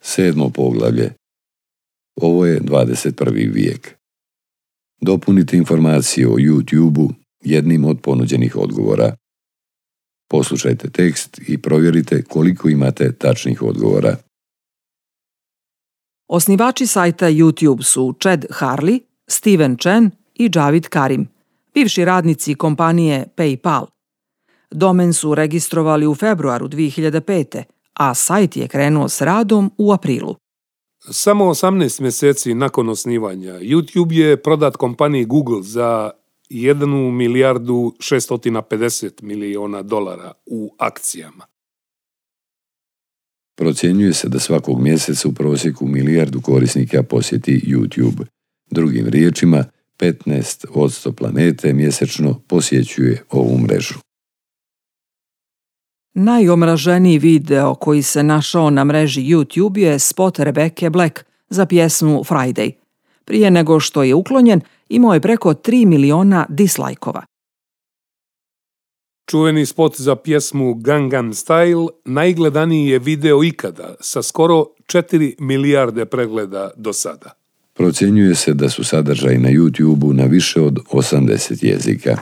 7. poglavlje. Ovo je 21. vijek. Dopunite informacije o YouTube-u jednim od ponuđenih odgovora. Poslušajte tekst i provjerite koliko imate tačnih odgovora. Osnivači sajta YouTube su Chad Hurley, Steven Chen i Javid Karim, bivši radnici kompanije PayPal. Domen su registrovali u februaru 2005. a sajt je krenuo s radom u aprilu. Samo 18 mjeseci nakon osnivanja, YouTube je prodat kompaniji Google za $1,650 miliona u akcijama. Procjenjuje se da svakog mjeseca u prosjeku 1 milijardu korisnika posjeti YouTube. Drugim riječima, 15% planete mjesečno posjećuje ovu mrežu. Najomraženiji video koji se našao na mreži YouTube je spot Rebecca Black za pjesmu Friday. Prije nego što je uklonjen, imao je preko 3 miliona dislajkova. Čuveni spot za pjesmu Gangnam Style najgledaniji je video ikada, sa skoro 4 milijarde pregleda do sada. Procjenjuje se da su sadržaji na YouTube-u na više od 80 jezika.